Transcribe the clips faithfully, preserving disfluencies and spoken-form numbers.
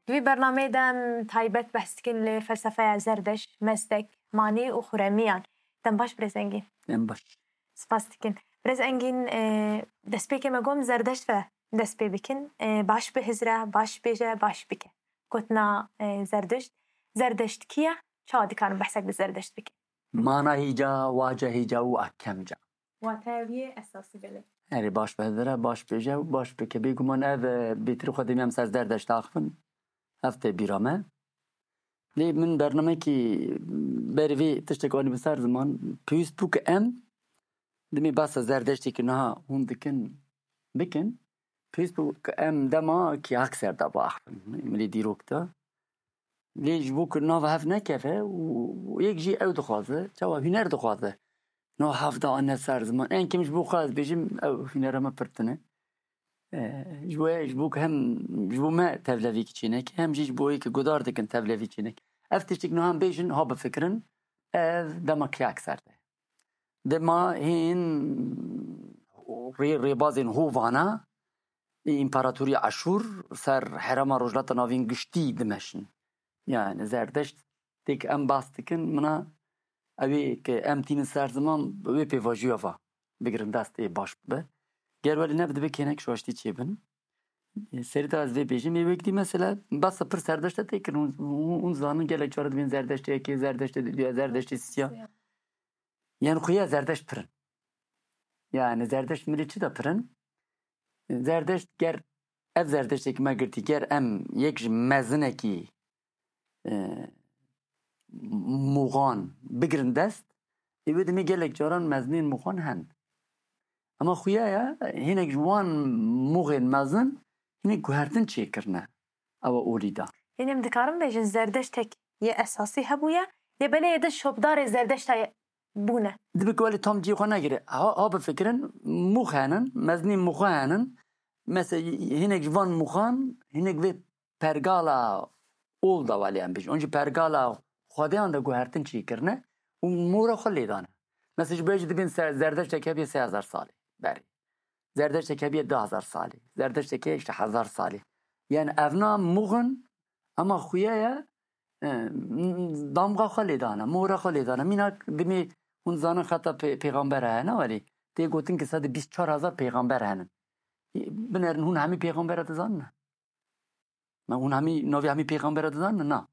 Di vî bernameyê de em taybet behs dikin li felsefeya Zerdeşt, Mezdek, Manî û Xuremiyan. Dem baş Birêz Engîn. Dem baş. Spas dikin. Birêz Engîn, e, destpêkê me got em Zerdeşt ve dest pê bikin. E, baş bihizre, baş bêje, baş bike. Gotina, e, Zerdeşt. Zerdeşt kî ye? Çawa dikarin behsek bi Zerdeşt bikin? Mana hîca, wace hîca û akemca. Wateya wî yê esasî belê. Erê, baş bihizre, baş bêje û baş bike. Bêguman ev, e, bêtir xwe demê em ser Zerdeşt axivin. Ev tê bîra me. Lê min bernamekî berî vê tiştek anî bi ser ziman. Pêwîst bû ku em demê behsa Zerdeştê ku niha hûn dikin, bikin. Pêwîst bû ku em dema kî hak ser de biaxivin. Milê dîrok de. Lê ji bo ku nava hev nekeve û, û yek jî ew dixwaze, çawa huner dixwaze. Nava hev de ane ser ziman. En kêm ji bo xwe ez bêjim, ew hunera me pir tune. E, ji bo, ji bo ku hem, ji bo me tevlevîkî çêneke, hem jî ji bo yê ku gudar dikin tevlevî çêneke. Ev tiştik niha em bêjin, ha bifikirin, ev dema kî hak ser de. Dema hîn rê, rêbazên hovana, ê împaratorî Aşûr ser herêma Rojhilata Navîn giştî dimeşin. Yani Zerdeşt têk em bas dikin, mina ew ê ke em tînin ser ziman wê pêvajoya va bigirin dest ê baş bibe. Ger welî ne dibe kênek şaştî çêbin. Ê, serî de ez vê bêjim, ê wek dî mesela basa pir Zerdeşta tê kirin, hûn, hûn, hûn zanin gelek cara dibên Zerdeştê yekê, Zerdeştê duya, Zerdeştê siya. Siya. Yani xuya Zerdeşt pirin. Yani Zerdeşt milê çi de pirin? Zerdeşt ger ev Zerdeştê ki me girtî, ger em yek ji mezinekî, e, muxan bigirin dest, ê wê demê gelek caran mezinên muxan hen. Ama xuya ya, hinek ji wan muxên mezin hinek guhertin çêkirine. Ewa olî da. Yanî em dikarin bêjin Zerdeştek yê esasî hebûye, lê belê yê din şopdarê Zerdeşta ye bûne. Dibe ku welî tam cihê xwe negire. Ha, ha bifikirin, mûx henin, mezinî mûxu henin. Mesela hinek ji van mûxan, hinek vê pergala ol da welî em bêjin. Onjî pergala xwedeyan de guhertin çêkirine û mora xwe lê dane. Mesela ji bo jî dibên se-, Zerdeştek hebiye sê hezar salî berê. Zerdeştek hebiye du hezar salî. Zerdeştek heye işte hezar salî. Yani evna muxin ama xuya ye, e, damga xwe lê dane, mora xwe lê dane. Mînak dimê hûn zanin xeta pê-, pêxamber heye, ne welî? Tê gotin ki sedî bîst çar hezar pêxamber henin. Binerin hûn hemî pêxambera dizanin? Me hûn hemî, navê hemî pêxambera dizanin? Na.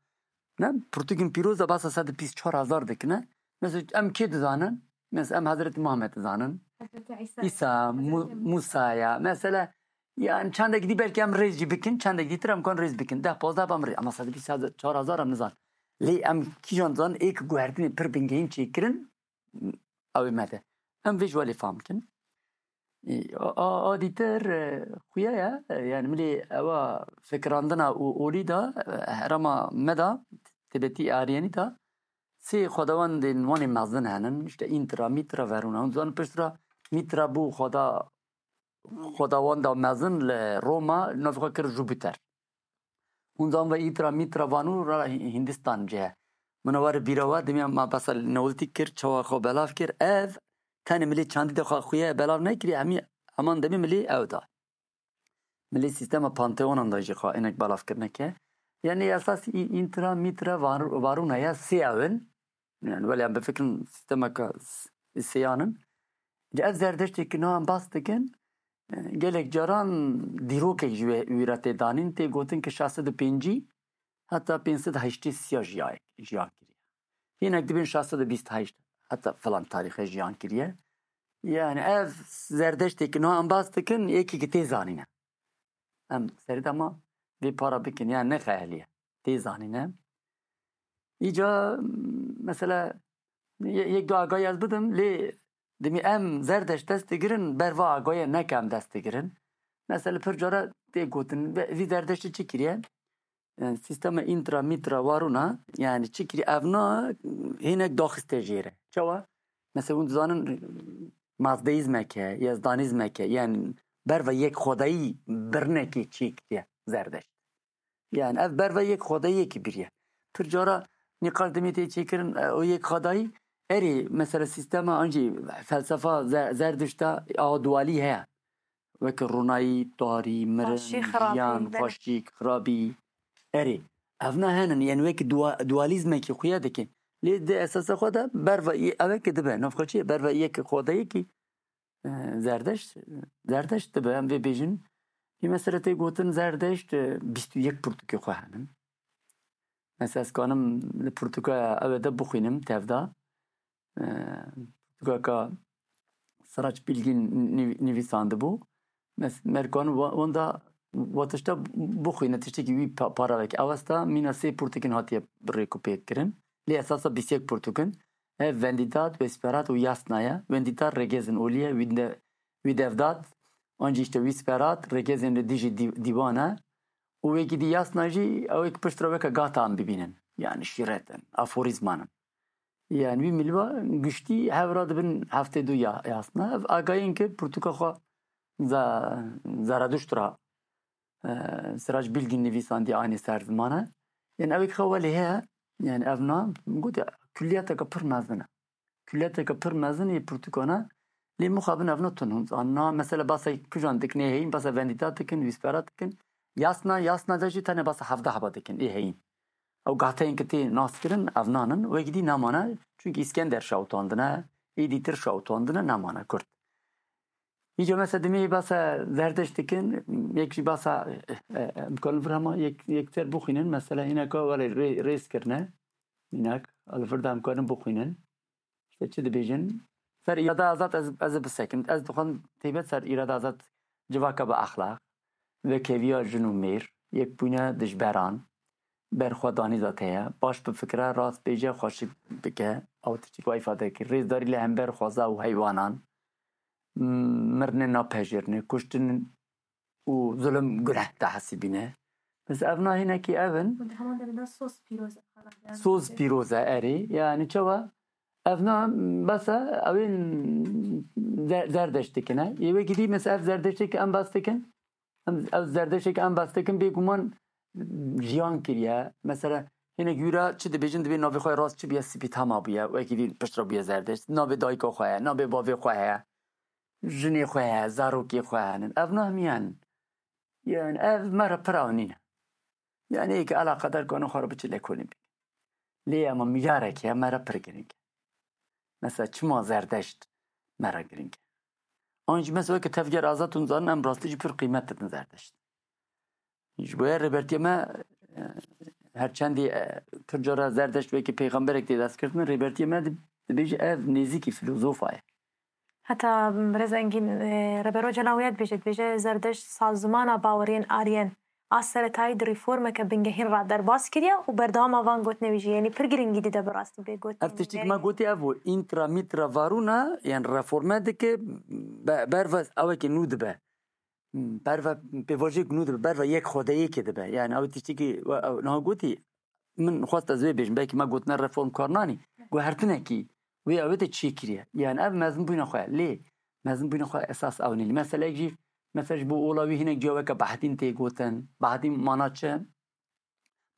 Ne? Pirtûkên pîroz de behsa sedî bîst çar hezar dikine. Mesela em kê dizanin? Mesela em Hezretî Muhammed dizanin. Hezretî Îsa. Îsa, Mu-, Hezretî Musa. Musa ya. Mesela, yani çendek dî belkî em rêz jî bikin, çendek dîtir em kan rêz bikin. Deh pazdeh em rê. Ama sedî bîst çar hezar em nizan. Lê em kîjan dizanin, ê ki guhertinê pir bingehîn çêkirin, ew ê me de. Em vê ji welê fam kin. Ê, a, a, a dîtir, e, xuya ye. E, yani milê ewa fikirandina û olî da, e, herêma me da, Tibetî Aryanî da, sê xwedawendên wanê mezin henin, işte Intra, Mitra, Veruna. Hûn zanin pişt re Mitra bû xweda, xwedawenda mezin li Roma, navê xwe kir Jupiter. Hûn zan ve Îtra, Mîtra, Vanu ra Hindistan cih e. Min were bîra we, dimya me besa newltî kir, çawa xwe belav kir. Ev tenê milê çandî de xwe xuye belav nekiriye, hemî heman demê milê ew da. Milê sîstema panteonan da jî xwe inek belav kirine ke. Yani esas Î-, Întra, Mîtra, Var-, Varuna ya sê ew in. Yani, wele em bifikirin sîstemeka s-, sêyan in. Ji ev Zerdeştê ki niha em bas dikin, e, gelek caran dîrokek ji wê, wî re tê danîn, tê gotin ki şeş sed û pêncî heta pênc sed heştê sî ya jiya-, jiyan kiriye. Hinek dibên şeş sed û bîst heşt heta filan tarîxe jiyan kiriye. Yani ev Zerdeştê ki niha em bas dikin, yekî ki tê zanîne. Em serî dema vê para bikin, yani nexeyeliye. Tê zanîne. Îca, mesela, ye-, yek du agahî ez bidim, lê dimî em Zerdeşt dest digirin, ber va agahî neke em dest digirin. Mesela, pir cara tê gotin, ve-, vî Zerdeştî çi kiriye? Yani, sîstema Întra, Mîtra, Varuna, yani çi kiriye? Evna hinek daxiste jêre. Çawa? Mesela, hûn dizanin, mazdeîzmeke, yezdanîzmeke, yani ber va yek xwedayî birnekê çêkiriye Zerdeşt. Yani ev ber ve yek xwedayiyekî biriye. Pir cara nîqaş demê tê çêkirin, e, o yek xwedayî, erê, mesela sîstema an jî felsefa Ze-, Zerdişta a dualî heye. Weke ronayî, tarî, mirin, Xweşî, xirabî, jiyan, belê. Xweşik, xirabî. Erê, evna henin, yani wekî dua, dualîzmekî xuya dike. Lê di esasa xwe de berva î-, ew eke dibe, navxwe çi ye? Berva yek xwedeyekî, e, Zerdeşt, Zerdeşt dibe, em vê bêjin. Î mesela tê gotin Zerdeşt, e, bîst û yek pirtûkê xwe henin. Mesela ez kanim li pirtûka ew de bixwînim, tevda. E, pirtûka ka Sirac Bilgîn nivî-, nivîsandibû. Mes-, merkan wa-, wenda wa tişta bixwîne, tiştekî wî pa-, para veke. Awesta mîna sê pirtûkên hatiye rêkûpêk kirin. Lê esasa bîst yek pirtûk in. Ev Vendidat, Wesperat û Yasna ye. Vendidat Regezin Olî ye. Wî de-, wî devdat, an jî işte Wîsperat, Regezên li dijî dî-, dîwan e. Û wekî dî Yasna jî ew ê ki piştre weke gata em bibînin. Yani şîret in, aforîzman in. Yani wî milva giştî hev ra dibin heftê du ya, Yasna. Ev agayên ki pirtûka xwe Za-, Zaraduşt ra, e, Sirac Bilgîn nivîsandî aynî ser ziman e. Yani ew ê ki xewa lê heye, yani ev na, min got ya, kulliyeteke pir mezin e. Kulliyeteke pir mezin ê pirtûkan e. Lê mixabin ev na tun hûn zan. Na, mesela basa kujan dikin ê heyîn, basa Vendidat dikin, Wîsperat dikin. Yasna, Yasna de jî tenê basa hevdeh heba dikin ê heyîn. Ew gahteyên ki tê nas kirin, ev nan in. Wekî dî namane, çunkî Îskender şawitandine, êdîtir şawitandine, namane Kurd. Îca mesela dimê basa Zerdeşt dikin, yek jî basa, e, e, em karin vir hema yek, yekser bixwînin. Mesela hîneka were rê-, rêz kirine. Hînak, li vir de em karin bixwînin. İşte çi dibêjin? Ser îrada azad ez, ez ê bisekim. Ez dixwazim taybet ser îrada azad civaka bi exlaq, vekeviya jin û mêr, yekbûna dijberan, berxwedanî zat heye, baş bifikire, rast bêje, xweşik bike, ew tiştî ku îfade kir. Rêzdarî li hember xweza û heywanan, m-, mirinê napejirine, kuştin û zulm guneh dihesibîne. Bes ev na hinekî ev in. Û di heman demê de soz pîroz e, xala. Soz pîroz e, erê. Yani çawa? Ev na bes e, ew ên zer-, Zerdeşt dikine. Yê wekî dî mesela ev Zerdeştê ki em bas dikin. Em, ev Zerdeştê ki em bas dikin, bêguman jiyan kiriye. Mesela hinek jûra çi dibêjin, dibê navê xwe rast çi bûye, Spîtama bûye. Wekî dî piştre bûye Zerdeşt. Navê dayika xwe heye, navê bavê xwe heye. Jinê xwe heye, zarokê xwe henin. Ev na hemiyan. Yani ev me re pir ew nîne. Yani ê ki eleqedar kane xwe re biçe lekolîn bike. Lê ema mijarek heye me re pir girîng e. Mesela çima Zerdeşt me re girîng e? An jî mesela weke tevger azad hûn zanin em rastî jî pir qîmet didin Zerdeşt. Ji bo ya rêbertiya me, e, her çendî, e, pir cara Zerdeşt wekî peyxamberek tê destkirdin, rêbertiya me di-, dibêje ev nêzîkî filozofa ye. Heta Birêz Engîn, e, Rêber Ocalan wiya dibêje, dibêje Zerdeşt sazmana baweriyên Aryen a seretayî di reformeke bingehîn re derbas kiriye û berdewama van gotinê wî jî, yanî pir girîngî dide bi rastî bê gotinê. Ev tiştî ki me gotî ev bû, intra mitra varuna, yani reforme dike, be-, berva ewekê nû dibe. Berva pêvajoyek nû dibe, berva yek xwedeyekê dibe. Yani ew tiştî ki we-, ew niha gotî, min xwest ez wê bêjim, belkî me gotina reform kar nanî. Guhertinekî wê ew ê te çêkiriye. Yani ev mezinbûna xwe ye. Lê mezinbûna xwe esas ew nîne. Meseleyek jî, mesela ji bo ola wî hinek ciya weke Bahdîn tê gotin. Bahdîn mana çi?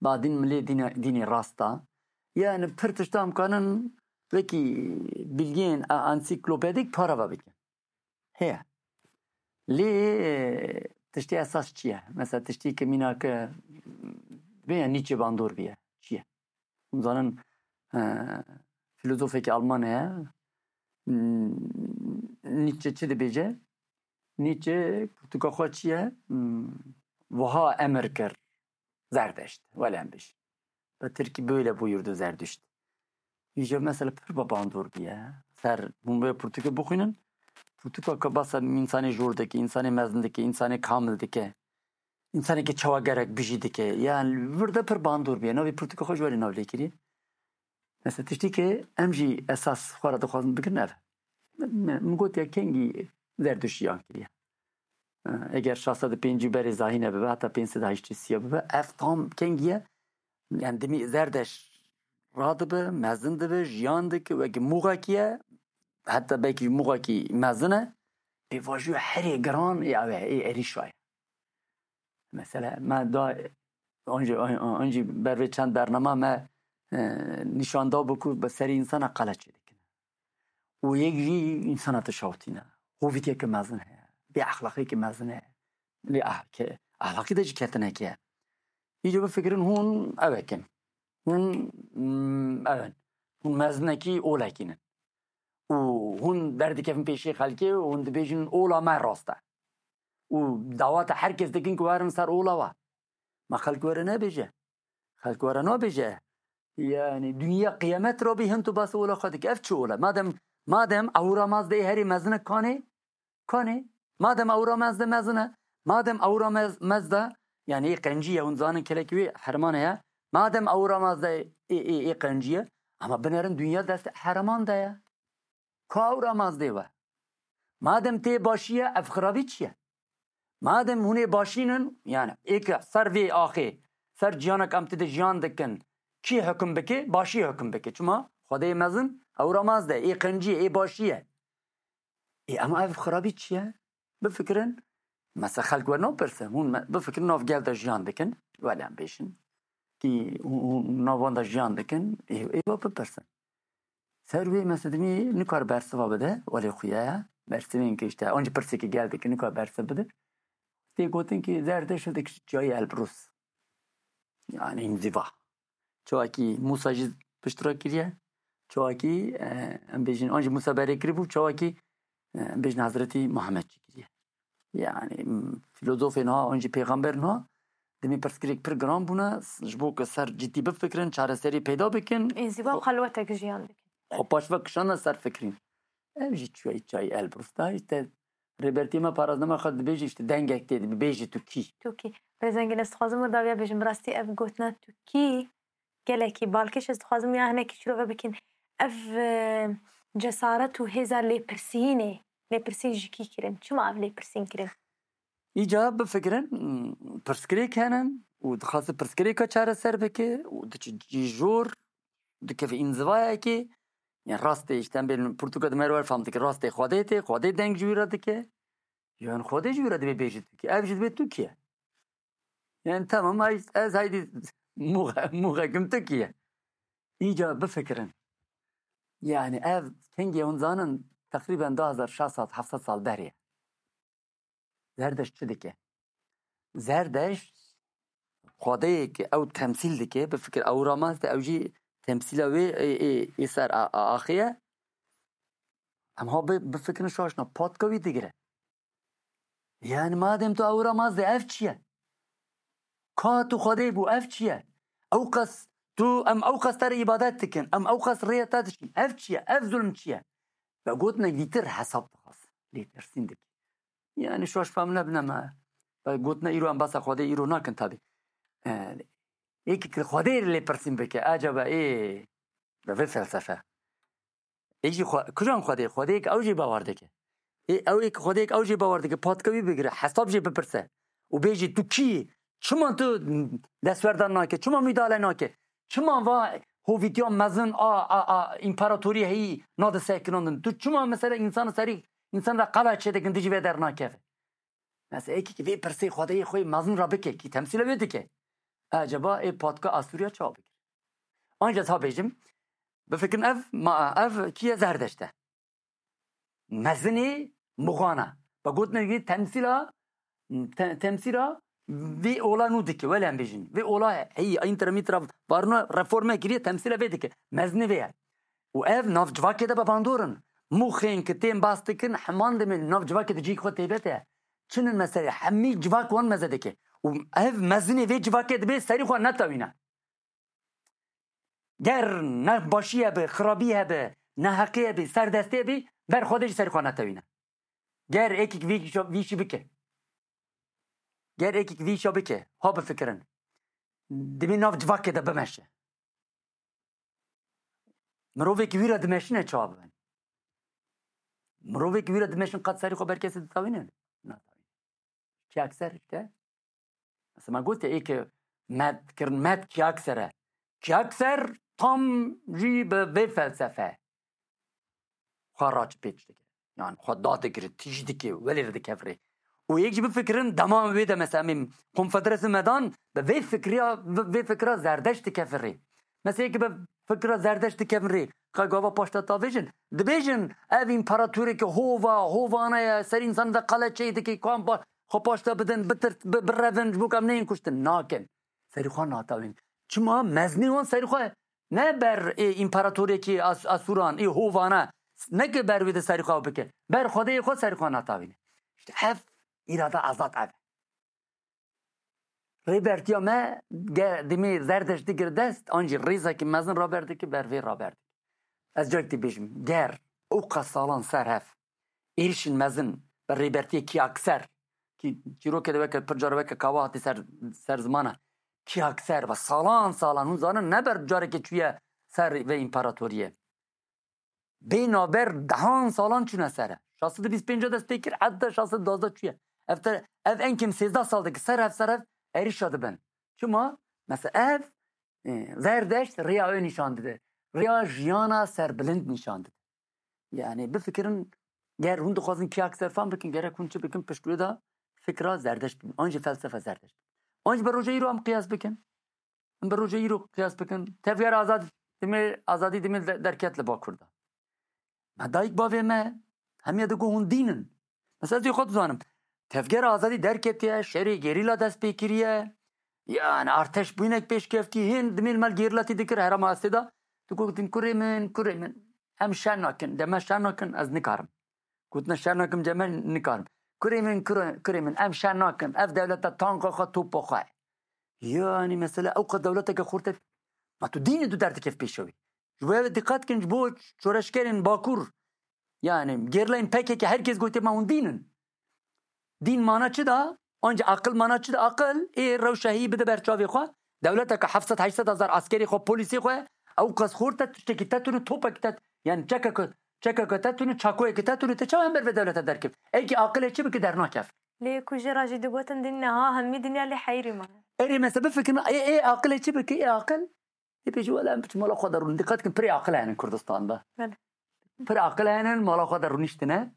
Bahdîn milê dîne, dînê rast a. Yani pir tişta em kanin wekî bilgeyên a-, ansîklopedîk parava bikin. Heye. Lê, e, tiştê esas çi ye? Mesela tiştê ki mîna ki, bê ya Nietzsche bandor bûye. Çi ye? Hûn zanin, e, filozofekî Alman heye. Hmm, Nietzsche çi dibêje? Nietzsche pirtûka xwe çi ye? Hmm, wiha emir kir. Zerdeşt, wele em bêjin. Bi tirkî böyle buyurdu Zerdüşt. Îja mesela pir bi bandor bûye. Ser hûn vê pirtûkê bixwînin. Pirtûka ka basa însanê jor dike, însanê mezin dike, însanê kamil dike. Însanê ki çawa gerek bijî dike. Yani vir de pir bandor bûye. Navê pirtûka xwe ji wê re nav lê kiriye. Mesela tiştî ki em jî esas xwe re dixwazin bikin ev. Min, min, min got ya kengî Zerdüşt jiyan kiriye. Eger şeş sed û pêncî berê zahîne bibe, heta pênc sed û heştê sîya bibe, ev tam kengî ye. Yani dimî Zerdeşt radibe, mezin dibe, jiyan dike, wekî muxekî ye, heta belkî muxekî mezin e. Pêvajoya herê giran ê ew e, ê êrîşa ye. Mesela me da, an jî, an, an jî ber vê çend bernama me, e, nîşan da bû ku bi serê însana qele çêdikine. Û yek jî însana dişewtîne. Hovîtiyeke mezin heye. Bê exlaqiyeke mezin heye. Lê ah-, ke-, exlaqî de jî ketineke ye. Îco bifikirin hûn ew ekin. Hûn, mm, ew in. Hûn mezinekî olekî nin. Û hûn derdikevin pêşê xelkê û hûn dibêjin ola me rast e. Û dawata her kes dikin ku werin ser ola we. Ma xelk were nebêje. Xelk were nabêje. Yani dinya qiyamet re bî hin tu bas ola xwe dike. Ev çi ola? Madem, madem ewra maz de herî mezin e kanê, kanê. Madem ewra mez de mezin e, madem ewra mez, mez de, yani ê qencî ye, hûn zanin kelekî wê herman heye. Madem ewra mez de ê, ê, ê qencî ye, ama binerin dinya dest herman de ye. Ka ewra mez de we. Madem tê başî ye, ev xirabî çi ye? Madem hûn ê başî nin, yani ê ke ser vê axê, ser ciyanek em tê de jiyan dikin, kî hukm bike? Başî hukm bike. Çima? Xwedê mezin, ewra maz de, ê qencî ye, ê başî ye. Ê, ama ev xirabî çi ye? Bifikirin, mesela xelk we napirsin, hûn me, bifikirin nav gel de jiyan dikin, welê em bêjin. Kî hûn, hûn nav wan de jiyan dikin, ê, ê we bipirsin. Ser wê mesedimî nikar bersiva bide, welê xuya ye. Bersivên ki işte, ancî pirsê ki gel dikin, nikar bersiv bide. Tê gotin ki Zerdeşt dik çiyayî Elbrus. Yani inziva. Çawakî Musa jî pişt re kiriye. Çawakî, e, em bêjin, an jî Musa berê kiribû, çawakî, e, em bêjin Hezretî Muhammed jî kiriye. Yani, m, filozofên ha, an jî pêxemberên ha, demê pirsgirêk pir giran bûne, s-, ji bo ku ser cidî bifikirin, çareserî peyda bikin. Înziva û xelwetek jiyan dikin. Xwe paş ve kişane ser fikirîn. Ev jî çiyayî, çiyayî Elbrus da, işte, Rêbertiyê me parazdnama xwe dibêje, işte, dengek tê, dibêje tu kî? Tu kî? Rêzengîn, ez dixwazim wir dawiya bêjim, bi rastî ev gotina tu kî gelekî balkêş, ez dixwazim ya hinekî şirove bikin. Ev, e, cesaret û hêza lêpirsînê, lêpirsîn ji kî kirin? Çima ev lêpirsîn kirin? Îca bifikirin, pirsgirêk henin û dixwaze pirsgirêka çareser bike û diçe cî jor, dikeve înzivayekê, yani rastê, işte, em bên pirtûka di me re fam dike, rastê Xwedê tê, Xwedê deng ji wî re dike. Yani Xwedê ji wî re dibê bêjî tu kî. Ev jî dibê tu kî ye. Yani tamam, ay, ez haydî muxe-, muxekim tu kî ye. Îca bifikirin. Yani ev kengê hûn zanin teqrîben du hezar şeş sed heft sed sal berê ye. Zerdeşt çi dike? Zerdeşt Xwedeyê ki ew temsîl dike, bifikir ew ramaz de ew jî temsîla wê ê, ê, ê ser a, a, axê ye. Em ha bi, bifikirin şaşna, patka wî digire. Yani madem tu ew ramaz de ev çi ye? Ka tu Xwedê bû, ev çi ye? Ew qas tu, em ew qas te re îbadet dikin, em ew qas rêya te dişîn, ev çi ye? Ev zulm çi ye? Ve gotinek dîtir hesab dixwaz. Lêpirsîn dike. Yani şaş fam nebine me. Ve gotine îro em basa Xwedê îro nakin tabi. E, êkî ki Xwedê lêpirsîn bike, acaba ê, ve vê felsefe. Ê jî xwe, kujan Xwedê, Xwedêyek ew jî bawer dike. Ê, ew êk Xwedêyek ew jî bawer dike, patka wî bigire, hesab jê bipirse. Û bêjî, tu kî yî? Çima tu destwerdan nake? Çima müdahale nake? Çima va hovîtiya mezin a, a, a împaratoriyê heyî nade sekinandin? Tu çima mesela însan serî, însan re qala çêdikin dijî vê dernakeve? Mesela êkî ki vê pirsê Xwedeyê xwe yê mezin re bike, kî temsîla wê dike. Acaba ê patka Asûriya çawa bigire? Anca ez ha bêjim, bifikirin ev, ma, ev kî ye? Zerdeşt e. Mezinê muxana. Ve gotine wî temsîla, te-, temsîla vê ola nû dike, wele em bêjin. Vê ola heyî, întra mîtra varna reforme kiriye, temsîla vê dike. Mezinê vê ye. Û ev nav civakê de be bandor in. Muxên ki tên bas dikin, heman demê nav civakê de cî xwe têbet e. Çinin mesela, hemî civak wan meze dike. Û ev mezinê vê civakê dibê serî xwe netewîne. Ger ne başî hebe, xirabî hebe, neheqî hebe, serdestê bî, ber Xwedê jî serî xwe netewîne. Ger êkik vî, vî şî bike. Ger êkik vî şa bike, ha bifikirin. Dibê nav civakê de bimeşe. Mirovêkî wî re dimeşine çawa bibe? Mirovêkî wî re dimeşin qet serî xwe ber kesî ditewîne? Natewîne. Kî ekser işte. Mesela me gote ê ke met kirin, met kî ekser e. Kî ekser tam jî bi vê felsefe xwe raç pêç dike. Yani xwe dadigire, tîj dike, welê re dikevire. Û yek jî bifikirin, dema wê de mesela em ê konfederasyon medan, bi vê fikriya, vê fikra Zerdeşt dikevire. Mesela yek bi fikra Zerdeşt dikevire, ka gava paşta tavêjin. Dibêjin, ev împaratorê ki hova, hovane ye, ser însan de qale çê dike, kan ba-, xwe paşta bidin, bitir-, bi-, birevin, ji bo ku em neyên kuştin. Nakin. Serî xwe natawîn. Çima? Mezinê wan serî xwe ne ber ê împaratoriyekî As-, Asûran, ê hovana, ne ki ber wê de serî xwe bike. Ber Xwedê xwe serî xwe natawîne. İşte ev îrada azad ev. Rêbertiya me ge-, dimê Zerdeşt digir dest, an jî rêzekî mezin raber dike, ber vê raber dike. Ez carek dî bêjim, ger ew qas salan ser hev êrişên mezin bi rêbertiyê Kiyakser, kî çîrokê de weke pir car weke kawa hatî ser, ser zimana, Kiyakser ve salan salan hûn zanin ne ber carekê çûye ser vê împaratoriyê. Bê naber dehan salan çûne ser e. Şeş sed û bîst pênc dest pê kir, heta şeş sed û duwazdeh çûye. Ev te, ev en kêm sêzdeh sal dike ser ev, ser ev êrişa dibin. Çima? Mesela ev, e, Zerdeşt rêya wê nîşan dide. Rêya jiyana serbilind nîşan dide. Yani bifikirin, ger hûn dixwazin Kiyakser fam bikin, gerek hûn çi bikin, pişt wê de fikra Zerdeşt bin. An jî felsefe Zerdeşt bin. An jî bi roja îro em qiyas bikin. Em bi roja îro qiyas bikin. Tevger azad, dimê, azadî dimê de-, derket li Bakur de. Me dayik bavê me, hemiye digo hûn dîn in. Mesela ez ê xwe dizanim. Tevger azadî derketiye, şerê gerîla dest pê kiriye. Yani arteş bûynek pêşkeftî, hên dimê li me gerîla tî dikir, herama Hestê de. Digotin kurê min, kurê min. Em şer nakin, de me şer nakin, ez nikarim. Gotine şer nakim, de me nikarim. Kurê min, kurê, kurê min, em şer nakin. Ev dewleta tanka xwe, topa xwe. Yani mesela ew qas dewleteke xurte. Ma tu dînê tu derdikef pêşa wî. Ji bo ev diqet kin, ji bo şoreşgerên Bakur. Yani gerîlayên P K K herkes gotiye ma hûn dîn in. Dîn mana çi da? Anca aqil mana çi da? Aqil ê rewşa heyî bide ber çavê xwe. Dewleteke heft sed heşt sed hezar eskerê xwe, polîsê xwe, ew qas xorte tiştekî te tune, topekî te, yani çekeke, çekeke te tune, çakoyekî te tune, te çawa hember vê dewlete derkevî? Êkî aqilê çi bike dernakev. Lê ku jê re jî digotin dîn niha hemî dinya lê heyirî mane. Erê, mesela bifikirin, ê, ê aqilê çi bike, ê aqil? Ê pêşî wele em biçin mala xwe de rûnin. Diqet kin, pirê aqil hene Kurdistan de. Belê. Pir aqil hene, mala xwe de rûniştine.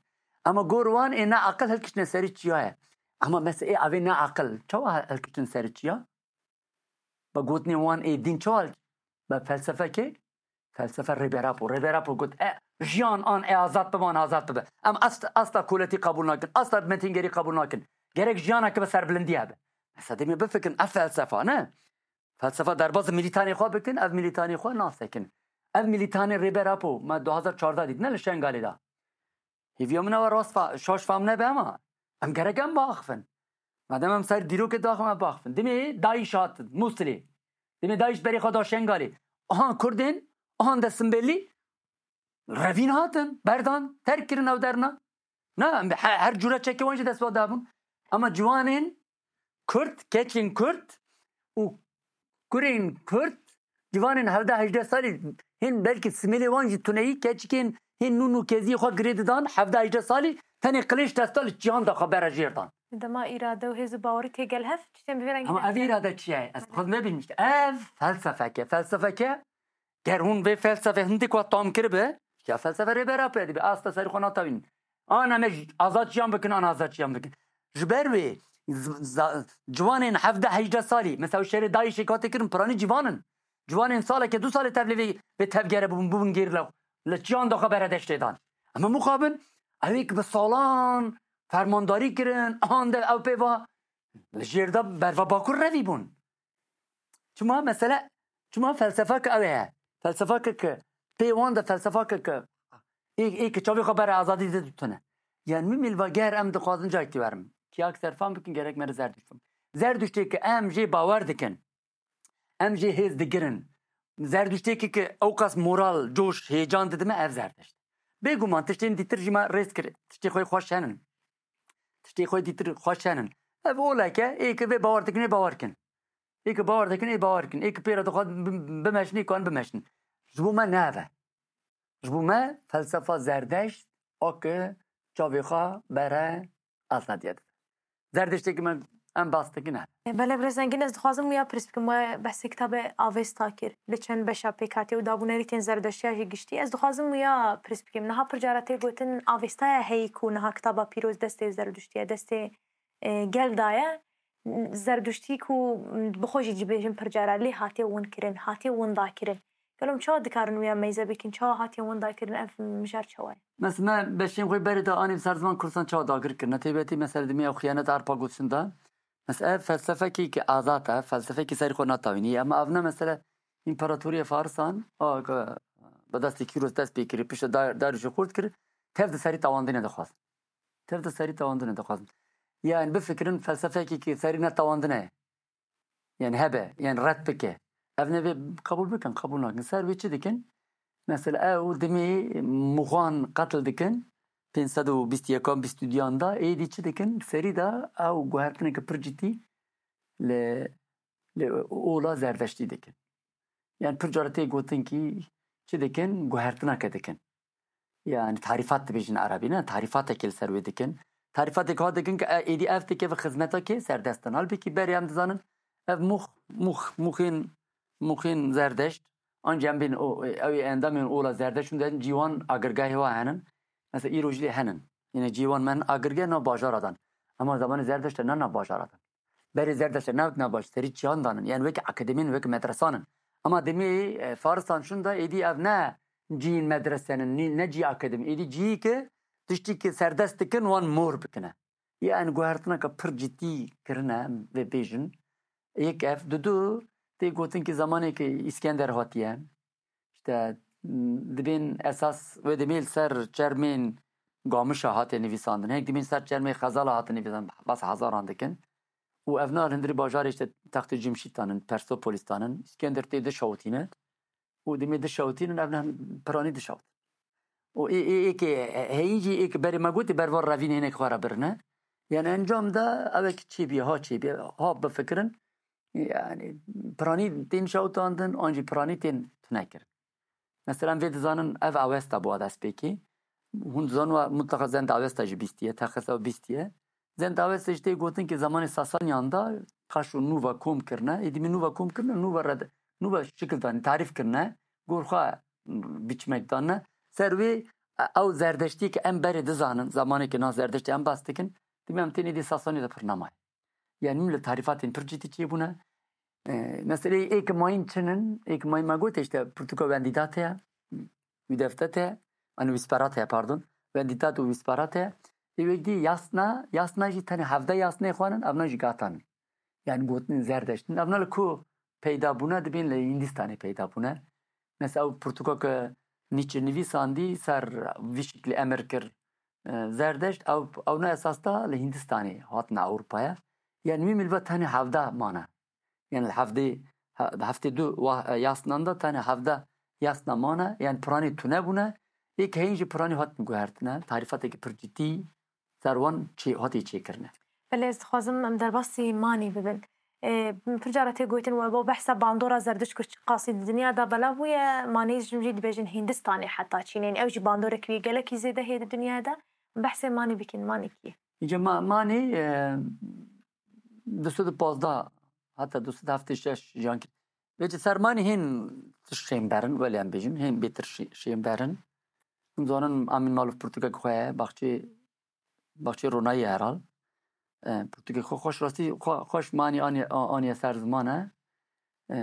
Ama gor wan ê ne aqil hilkiştine serî çiya ye. Ama mesela ê avê ne aqil, çawa hilkiştin serî çiya? Be gotinê wan ê dîn çawa hil-, be felsefekê? Felsefe Rêber Apo. Rêber Apo got, e, jiyan an ê azad bibe, an azad bibe. Em asla, asla koletî qebûl nakin, asla metîngerî qebûl nakin. Gerek jiyaneke bi serbilindî hebe. Mesela demê bifikirin, ev felsefa ne? Felsefa derbazî milîtanê xwe bikin, ev milîtanê xwe nasekin. Ev milîtanê Rêber Apo, me du hazar çardeh dît, ne li Şengalê de. Hêviya min ew e rast fa-, şaş fam nebe ama em gerek em biaxifin. Madem em ser dîrokê daxin, em biaxifin. Dimê DAIŞ hatin, Mûsilê. Dimê DAIŞ berê xwe da Şengalê. Ahan Kurdên, ahan de Simbêlî revîn hatin, berdan, terk kirin ew derna. Na, em he-, her cure çekê wan jî dest xwe dabûn. Ama ciwanên Kurd, keçên Kurd û kurên Kurd, ciwanên hevdeh hejdeh salî, hên belkî simêlê wan jî tuneyî, keçikên hên nû nûkeziyê xwe girê didan, hevdeh hejdeh salî, tenê qilêş desta li çiyan da xwe bere jêr dan. Dema îrade û hêz û bawerî tê gel hev, tiştên bi vê rengî Ama ev derkeve. Îrade çi ye? Ez xwe nebînim işte. Ev felsefeke, felsefeke Ger hûn vê felsefê hindik we tam kiribe, ya felsefe Rêber Apo dibe, asta serî xwe natawînin. An em ê azad jiyan bikin, an azad jiyan bikin. Ji ber wê z-, za-, ciwanên hevdeh hejdeh salî, mesela şerê DAIŞê katê kirin, piranî ciwan in. Ciwanên saleke du salê tevlê vê, vê tevgere bûbûn, bûbûn gerîla. Li çiyan da xwe bere deştê dan. Em hemû xwe bin, ew ê ki bi salan fermandarî kirin, ahan de ew pê va, li jêr de berva Bakur revî bûn. Çima mesele, çima felsefeke ew e. Felsefeke ki pê wan de felsefeke ki ê, ê ki çavê xwe bere azadî de dutune. Yani min mêl va ger em dixwazin cayek tî werin. Kiyak serfan bikin, gerek me re Zerduşt bin. Zerduştê ki em jê bawer dikin. Em jê hêz digirin. Zerduştê ki, ki ew qas moral, coş, heyecan didime ev Zerduşt. Bêguman tiştên dîtir jî me rêz kir. Tiştê xwe xweş henin. Tiştê xwe dîtir xweş henin. Ev oleke, ê ki vê bawer dikin, ê bawer kin. Ê ki bawer dikin, ê bawer kin. Ê ki pê re dixwazin bi-, bimeşin, ê ki wan bimeşin. Ji bo me ne ev e. Ji bo me felsefa Zerdeşt, a ki çavê xwe bere azadiye dibe. Zerdeştê ki me em bas dikin e. Belê, birêz Engîn, ez dixwazim wiya pirs bikim. We behsê kitabê Avesta kir. Li çend beşa pêk hatiye û dabûnerîtên Zerdeştiya jî giştî. Ez dixwazim wiya pirs bikim. Niha pir cara tê gotin, Avestaya heyî ku niha kitaba pîroz destê Zerduştiye, destê e, gel daye, Zerduştî ku bi xwe jî dibêjin pir cara lê hatiye winkirin, hatiye windakirin. Gelo em çawa dikarin wiya meyze bikin, çawa hatiye windakirin, ev mijar çawa ye? Mes-, me beşên xwe berê de anî bi ser ziman Kurdistan çawa dagir kirine? Taybetî mesele dimê ew xiyanet Arpa gotin de. Mesela ev felsefekî ki azad e, felsefekî serî xwe natawînî. Ama ev ne mesele împaratoriyê Farisan, a, ke bi destê Kîros dest pê kirî, pişta dar, darûşê xurt kir, tev di serî tawandinê dixwazin. Tev di serî tawandinê dixwazin. Yani bifikirin felsefekî ki serî netawandine. Yani hebe, yani red bike. Ev ne vê qebûl bikin, qebûl nakin. Ser wê çi dikin? Mesela ew dimê Muxan qetil dikin, pênc sed û bîst û yekan, bîst û duyan da, êdî çi dikin? Serî de ew guhertineke pir cidî li, li ola Zerdeştî dikin. Yani pir cara tê gotin kî çi dikin? Guhertineke dikin. Yani tarîfat dibêjin erebî, ne? Tarîfatekê li ser wê dikin. Tarîfatek ha dikin ki, e, êdî ev dikeve xizmeta kê? Serdestan. Halbikî berê em dizanin, ev mûx, mûx, mûxên, mûxên Zerdeşt, ancî em bên o, ew ê endamên ola Zerdeşt hûn dibêjin cîwan agirgehê wa henin. Mesela îro jî lê henin. Yine cîwan me agirgeh nav bajara dan. Ama zamanê Zerdeşt de ne nav bajara dan. Berê Zerdeşt de ne nav baş, serî çiyan danin. Yani wekî akademîn, wekî medresanin. Ama demê, e, Faristan şûn da êdî ev ne cîyên medresenin, nî-, ne cî akademî. Êdî cîyî ki tiştî ki serdest dikin, wan mor bikine. Yani guhertineke pir cidî kirine, vê bêjin. Yek ev, dudu, tê gotin ki zamanê ki Îskender hatiye, işte, m, dibên esas wê demê li ser çermên Gamişa hate nivîsandin. Hêk dibên ser çermê Xezala hate nivîsandin. Bas hezaran dikin. Û ev na li hundirî bajarê işte Textê Cimşîtanin, Persopolis'tanin. Îskender tê dişewitîne. Û demê dişewitînin, ev ne piranî dişewit. Û ê, ê, ê ke heyî jî ê ke berê me gotî berva revînê hinek xwe re birine. Yani encam de ew ê ke çêbî, ha çêbî, ha bifikirin. Yani piranî tên şewitandin, an jî piranî tên tune kirin. Mesela em vê dizanin ev Awesta bû destpêkê. Hûn dizanin wa mutlaka Zend Awesta jî bîstiye, texes ew bîstiye. Zend Awesta jî tê gotin ki zamanê Sasaniyan da paşo nû ve kom kirine. Êdî min nû ve kom kirine, nû ve red, nû ve şikil danî, tarîf kirine. Gor xwe biçmek danine. Ser wê, e, ew Zerdeştî ki em berê dizanin, zamanê ki na Zerdeştî em bas dikin, dibê em tên êdî Sasaniya de pir nemaye. Yani min li tarîfatên pir cidî çêbûne. E, meseleyê êk mayîn çin in, êk mayîn me got, işte, pirtûka Wendidat heye, Wîdeftet heye, yani Wîsperat heye, pardon. Wenditat û Wîsperat heye. Ê wek dî yasna, yasna jî tenê hevdeh yasnê xwanin, evna jî gatanin. Yani gotin Zerdeştin. Evna li ku peyda bûne, dibên li Hindistanê peyda bûne. Mesela ew pirtûka ke Nietzsche nivîsandî ser vî şiklî emir kir, e, Zerdeşt, ew, ew ne esas da li Hindistanê hatine Ewropaya. Yani wî milve tenê hevdeh mane. Yani li hevdê, he-, heftê du wa-, e, yasnan da tenê hevdeh yasna mane. Yani piranî tune bûne. Êk heyîn jî piranî hatin guhertine. Tarîfateke pir cidî ser wan çê-, hatî çêkirine. Belê, ez dixwazim em derbasî manî bibin. Ê, pir cara tê gotin we bo behsa bandora Zerdişt ku çiqasî di dinya de belav bûye, manî jim jî dibêjin Hindistanê heta Çînê. Ew jî bandorek wî gelekî zêde heye di dinyayê de. Behsê manî bikin, manî kî? Îca ma-, manî, e, du sed û pazdeh heta du sed heftê şeş jiyan kir. Vêçi ser manî hên tişt şênber in, welê em bêjin, hên bêtir şê-, şênber in. Hûn zanin Amîn Malûf pirtûkek xwe ye, Baxçê, Baxçê Ronayî herhal. E, pirtûkek xwe xweş, rastî xwe-, xweş manî aniye, a-, aniye ser ziman e. E,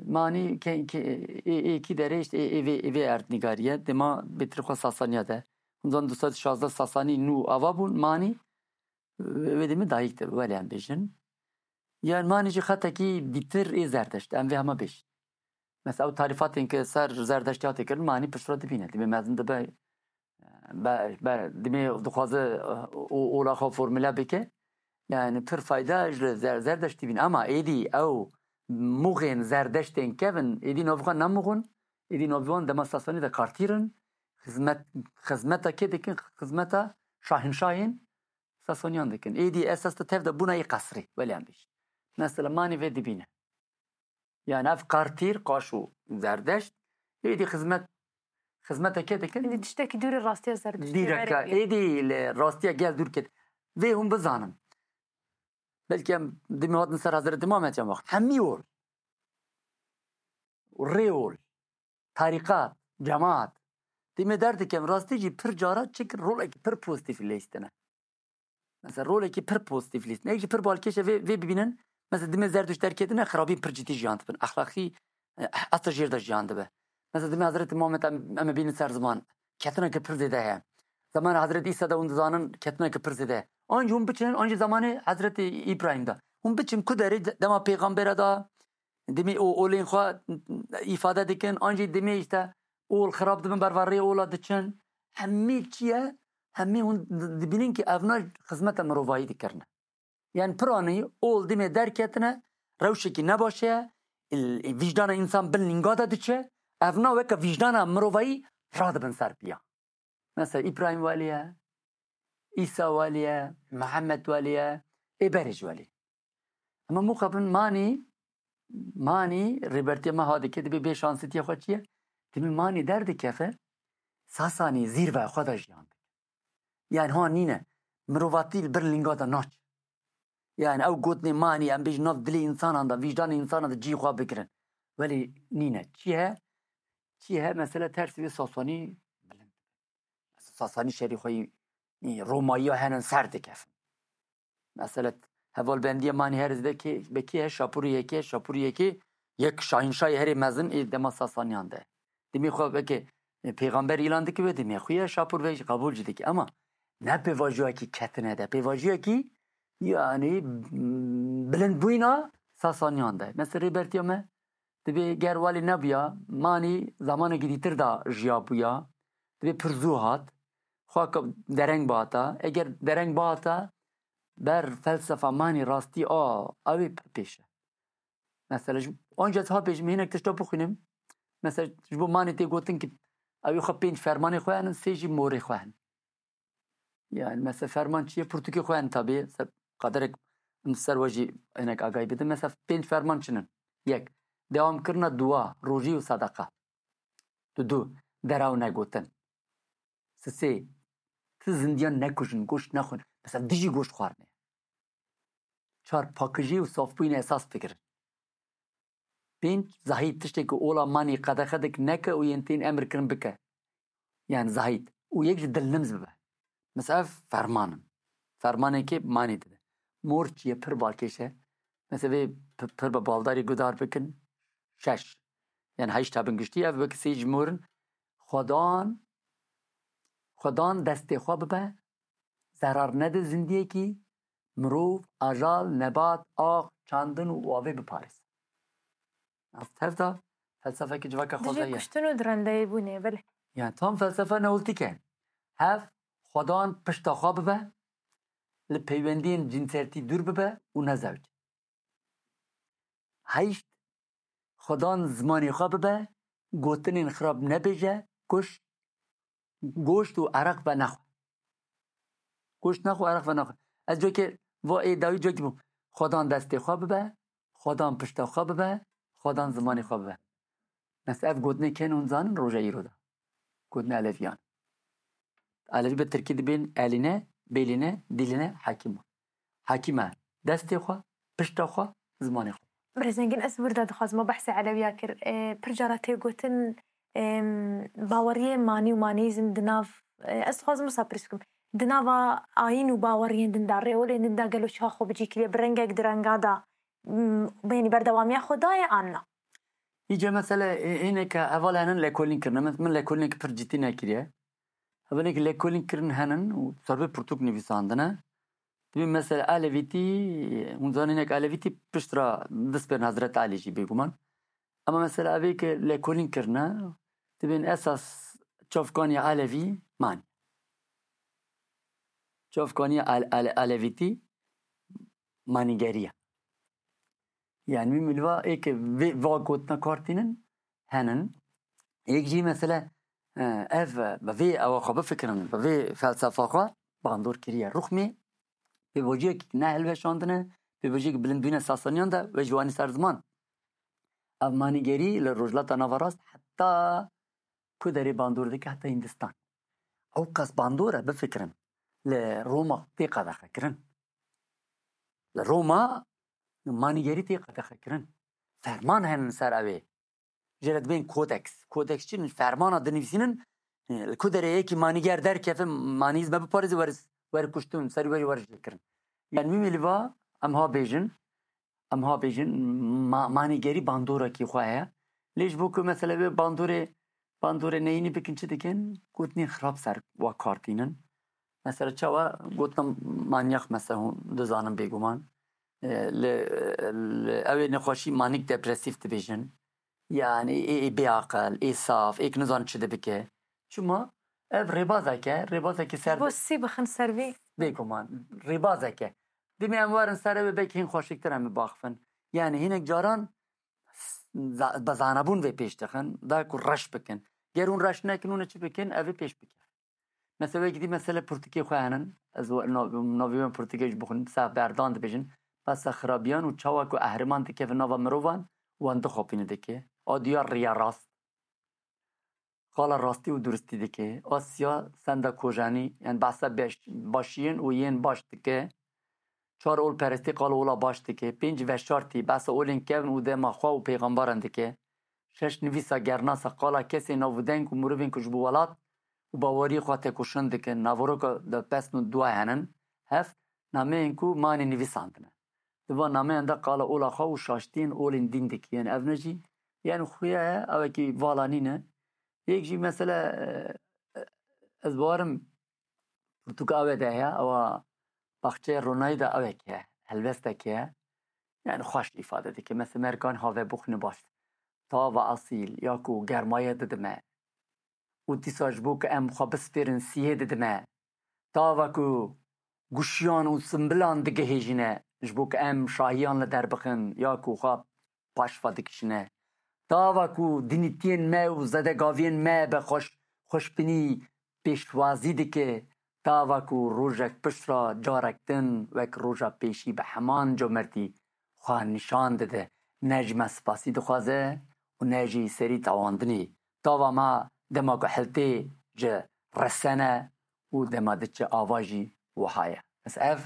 manî ke-, ke-, ê, ê kî derê işte ê, ê vê, ê vê erdnîgarî ye. Dema bêtir xwe Sasaniya de. Hûn zanin du sed şazdeh Sasanî nû ava bûn, manî wê demê dayik de, welê em bêjin. Yan manî jî xetekî dîtir ê Zerdeşt, em vê hema bêjin. Mesela ew tarîfatên ke ser Zerdeştî hate kirin, manî piştre dibîne. Dibê mezin dibe, be, be, dibê dixwaze, o, ola xwe formule bike. Yani pir fayda ji li Zer-, Zerdeştî bîne. Ama êdî ew muxên Zerdeştên kevin, êdî navê xwe ne muxin, êdî navê wan dema Sasanî de kartîr in, xizmet, xizmeta kê dikin, xizmeta şahinşahên Sasaniyan dikin. Êdî esas de tev de bûna yê qesrî, welê em bêjin. Mesela manî vê dibîne. Yani ev kartîr, qaş û Zerdeşt, êdî xizmet, xizmeta kê dikin? Êdî tiştekî dûrî rastiya Zerdiştê. Dîreka, êdî li rastiya gel dûr ket. Vê hûn bizanin. Belkî em dimê hatin ser Hezretî Muhammed ya wext. Hemî ol. Rê ol. Tarîqat, cemaat. Dê me derdikem, rastî jî pir cara çik rolekî pir pozîtîf lîstine. Mesela rolekî pir pozîtîf lîstine. Yek jî pir balkêş e vê, vê bibînin. Mesela dimê Zerduşt derketine xirabî pir cidî jiyan dibin. Exlaqî, e, heta jêr de jiyan dibe. Mesela dimê Hezretî Muhammed em, em ê bînin ser ziman. Ketineke pir zêde heye. Zamanê Hezretî Îsa de hûn dizanin ketineke pir zêde heye. An jî hûn biçinin, an jî zamanê Hezretî Îbrahîm de. Hûn biçin ku derê de-, dema pêxambere da, dimê û olên xwe îfade dikin, an jî dimê işte ol xirab dibin, berva rê ola diçin. Hemî çi ye? Hemî hûn di-, dibînin ki evna xizmeta mirovayî dikirine. Yani piranî ol dimê derketine, rewşekî nebaş e, il-, vîjdana însan bin lînga de diçe, evna weke vîjdana mirovayî radibin ser piya. Mesela Îbrahîm welî ye, Îsa welî ye, Mihemed welî ye, ê berê jî welî. Ama muqebin manî, manî rêbertiya me ha dike, dibê bê şansitiya xwe çi ye? Dibê manî derdikeve, Sasanî zîrveya xwe de jiyan dike. Yani ha nîne, mirovatî li bir lînga de naçe. Yani ew gotinê manî, em bêjin nav dilê însanan de, vîjdanê însanan de cî xwe bigirin. Welê nîne. Çi he? Çi he? Mesela tersî wê Sasanî bilind. Sasanî şerî xwe yî, yî Romayiya henin ser dikevin. Mesela hevalbendiya manî her zide ki, be kê he, şapûrê yekê, şapûrê yekê, yek şahînşahê herê mezin ê dema Sasaniyan de. Dimê xwe weke, e, pêxamber îlan dike wê dimê xwe ye, şapûr ve qebûl jî dike. Ama ne pêvajoyekî ketine de, pêvajoyekî, yani, m, bilindbûyîna Sasaniyan de. Mesela rêbertiya me dibê ger walê nebûya, manî zamanekî dîtir de jiya bûya, dibê pir zû hat, xwe ke-, dereng bihata. Eger dereng bihata, ber felsefa manî rastî a, ew ê pir pêş e. Mesela ji, anca ez ha bêjim, hinek tişta bixwînim. Mesela ji bo manî tê gotin ki ew ê xwe pênc fermanê xwe henin, sê jî morê xwe henin. Yani mesela ferman çi ye? Pirtûkê xwe henin tabî. Se-, qaderek em ser we jî hinek agahî bidin. Mesela pênc ferman çi nin? Yek, dewamkirina dua, rojî û sedeqa. Du, du, deraw negotin. Sisê, ti zindiyan nekujin, goşt nexwin. Mesela dijî goşt xwarinê. Çar, pakijî û safbûyînê esas bigirin. Pênc, zahît, tiştê ku ola manî qedexe dik neke û yên tên emir kirin bike. Yani zahît. Û yek jî dilnims bibe. Mesela ev ferman in. Fermanekê manî dide. Mor çi ye, pir balkêş e. Mesela vê pi-, pir bi baldarî guhdar bikin. Şeş. Yani heşt hebin giştî, ev wekî sê ji mor in. Xwedan, xwedan destê xwe bibe, zerar nede zindiyekî, mirov, ajal, nebat, ax, çandin û avê biparêz. Ev tev de felsefekî civaka xwe Dijî ye. Kuştin û direndeyî bûnê, belê. Yani tam felsefe neolîtîk e. Hev, xwedan pişta xwe bibe, li peywendiyên cinsertî dûr bibe û nezewce. Heşt, xwedan zimanê xwe bibe, gotinên xirab nebêje, kuş, goşt û ereq venexwe. Goşt nexwe, ereq venexwe. Ez cokê va ê dawî cokî bûm. Xwedan destê xwe bibe, xwedan pişta xwe bibe, xwedan zimanê xwe bibe. Mesela ev gotinê kên hûn zanin roja îro de. Gotinê Eleviyan. Elevî bi tirkî dibên elîne, bêlîne, dîlîne, hekîm. Hekîm e destê xwe, pişta xwe, zimanê xwe. Birêz Engin, ez wir de dixwazim, we behsê Elewiya kir. E, pir cara tê gotin, em, baweriyê manî û manîzm di nav, e, ez dixwazim wisa pirs bikim. Di nava ayîn û baweriyên din de, rêolên din de gelo çawa xwe bi cî kiriye, bi rengek direngada, m, benî berdewamiya xwe daye an na? Îca mesele, e, hêneke heval henin lêkolîn kirine. Min, min lêkolîneke pir cidî nekiriye. Hevalên ku lêkolîn kirin henin û ser vê pirtûk nivîsandine. Dibê mesela Elevîtî, hûn zanîn, hinek Elevîtî pişt re dest bên Hezret Elî jî bêguman. Ama mesela evê ke lêkolîn kirine, dibên esas çavkaniya Elevî manî. Çavkaniya El-, El-, Elevîtî manîgeriya. Yani wî milva ê ke vê, va gotina kar tînin, henin. Yek jî mesele, e, ev, bi vê ewa xwe bifikirin, bi vê felsefa xwe bandor kiriye. Ruxmê pêvajiyek ne hilweşandine, pêvajiyek bilind bûne Sasaniyan de ve ji wanî ser ziman. Ev manîgerî li Rojhilata Naverast heta ku derê bandor dike, heta Hindistan. Ew qas bandor e, bifikirin. Li Roma tê qedexe kirin. Li Roma manîgerî tê qedexe kirin. Ferman henin ser ew ê. Jê re dibên kodeks. Kodeks çi ne? Fermana dinivîsînin, e, li ku derê yekî manîger derkeve, manîz me biparêze, were, were kuştin, serî were, were jê kirin. Yani wî milîva em ha bêjin, em ha bêjin, ma-, manîgerî bandorekî xwe heye. Lê ji bo ku mesele wê bandorê, bandorê neyînî bikin, çi dikin? Gotinên xirab ser wa kar tînin. Mesela çawa gotina manyax mesela hûn dizanin bêguman. E, li, li, ew ê nexweşî manîk depresîf dibêjin. Yani ê, ê bêaqil, ê saf, ê ki nizan çi dibike. Çima? Ev rêbazek e, rêbazekî ser Bo sî bixin ser vî. Bêguman, rêbazek e. Dimê em werin ser ew ê belkî hîn xweşiktir em ê baxifin. Yani hinek caran za- bi zanebûn vê pêş dixin, da ku reş bikin. Ger hûn reş nekin, hûn ê çi bikin? Ev ê pêş bikin. Mesela wekî dî mesele pirtûkê xwe henin. Ez we- nav- navê wan pirtûkê ji bixwin, seh berdan dibêjin. Besa xirabiyan û çawa ku ehriman dikeve nava mirovan, wan dixapîne dike. A diya riya rast. Qala rastî û duristî dike. A siya senda kojenî, yani behsa beş- başiyên û yên baş dike. Çar ol perestî qala ola baş dike. Pênc veşartî behsa olên kevn û dema xwe û pêxembaran dike. Şeş nivîsa gernasa qala kesê navûdeng û mirovên ku ji bo welat û baweriyê xwe tekoşin dikin. Naveroka de pesn û dua henin. Heft nameyên ku manê nivîsandine. Di van nameyan de qala ola xwe û şaştiyên olên dîn dike. Yên ev ne jî yên xuya ye, ewekî vala nîne. Yek jî mesele, e, ez bawerim pirtûka ew de heye, ewa baxçeyê ronayî de ewek heye, helbestek heye. Yani xweş îfade dike. Mesela merkan have bixwîne baş. Tava asîl ya ku germaye didime. Û dîsa ji bo ku em xwe bispêrin siyê didime. Tava ku guşiyan û simbilan digihêjîne, ji bo ku em şahiyan li der bixin ya ku xwe paşva dikişîne. Tava ku dinîtiyên me û zedegaviyên me bi xweş-, xweşbînî pêşwazî dike, tava ku rojek pişt re carek din wek roja pêşî bi heman comertî xwe nîşan dide, ne ji me spasî dixwaze û ne jî serî tawandinê. Tava me dema ku heltê ji resene û dema diçe ava jî wiha ye. Bes ev,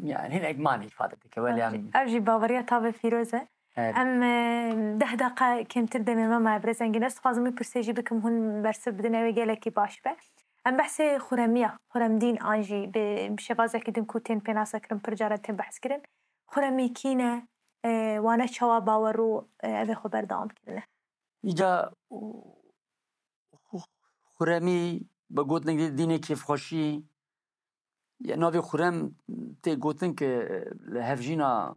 yani hinek manî îfade dike, welê em Ev jî baweriya tavê pîroz e. Evet. Em, e, deh deqa kêmtir demê me maye, birêz Engin. Ez dixwazim wî pirsê jî bikim, hûn bersiv bidin, ew ê gelekî baş be. Em behsê xuremiya, xuremdîn an jî bi, bi şêwazekî din ku tên pênasekirin, pir caran tên behskirin. Xuremî kî ne, e, wane çawa bawer û, e, ev ê xwe berdewam kirine? Îca xu-, xuremî bi gotinek dî dînê kêfxweşî, ya navê xurem tê gotin ke li hevjîna